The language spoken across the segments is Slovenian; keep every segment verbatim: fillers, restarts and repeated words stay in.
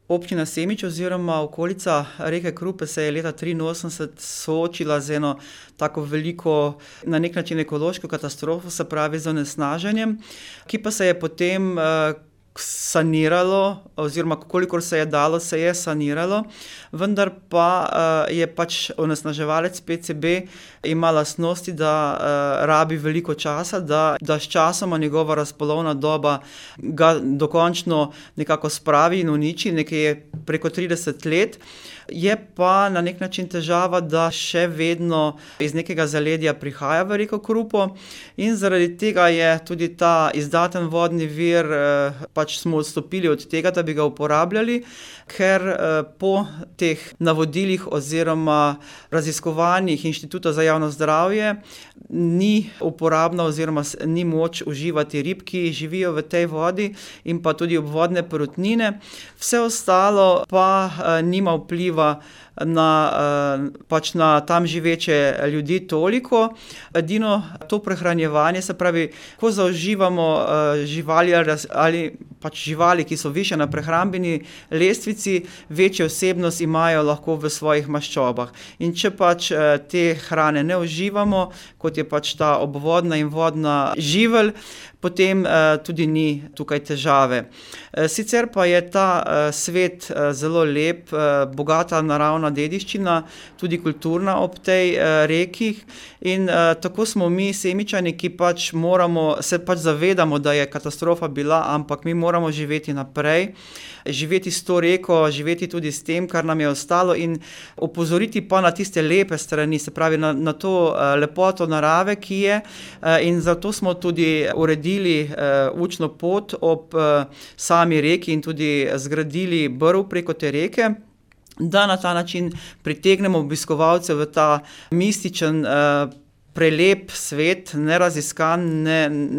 Občina Semič oziroma okolica reke Krupe se je leta triinosemdeset soočila z eno tako veliko, na nek način ekološko katastrofo, se pravi z onesnaženjem, ki pa se je potem saniralo, oziroma kolikor se je dalo, se je saniralo, vendar pa je pač onesnaževalec P C B ima lastnosti, da rabi veliko časa, da, da s časoma njegova razpolovna doba ga dokončno nekako spravi in uniči, nekje preko trideset let. Je pa na nek način težava, da še vedno iz nekega zaledja prihaja v reko Krupo in zaradi tega je tudi ta izdaten vodni vir, pač smo odstopili od tega, da bi ga uporabljali, ker po teh navodilih oziroma raziskovanjih Inštituta za javno zdravje ni uporabno oziroma ni moč uživati rib, ki živijo v tej vodi, in pa tudi obvodne perutnine. Vse ostalo pa nima vpliva na, pač na tam živeče ljudi toliko. Edino to prehranjevanje, se pravi, ko zauživamo živali ali pač živali, ki so višje na prehrambeni lestvici, večjo vsebnost imajo lahko v svojih maščobah. In če pač te hrane ne uživamo, kot je pač ta obvodna in vodna živelj, potem tudi ni tukaj težave. Sicer pa je ta svet zelo lep, bogata naravna dediščina, tudi kulturna ob tej reki, in tako smo mi Semičani, ki pač moramo, se pač zavedamo, da je katastrofa bila, ampak mi moramo živeti naprej, živeti s to reko, živeti tudi s tem, kar nam je ostalo, in opozoriti pa na tiste lepe strani, se pravi na, na to lepoto narave, ki je, in zato smo tudi uredili učno pot ob sami reki in tudi zgradili brv preko te reke, da na ta način pritegnemo obiskovalce v ta mističen, prelep svet, neraziskan, ne,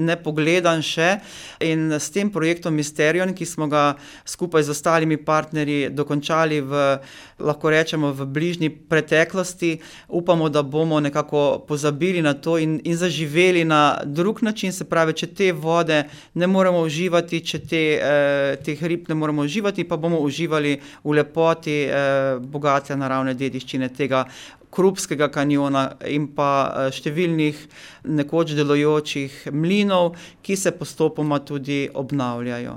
nepogledan še, in s tem projektom Mysterion, ki smo ga skupaj z ostalimi partnerji dokončali v, lahko rečemo, v bližnji preteklosti, upamo, da bomo nekako pozabili na to in, in zaživeli na drug način, se pravi, če te vode ne moremo uživati, če te, eh, teh rib ne moremo uživati, pa bomo uživali v lepoti eh, bogate naravne dediščine tega Krupskega kanjona in pa številnih nekoč delujočih mlinov, ki se postopoma tudi obnavljajo.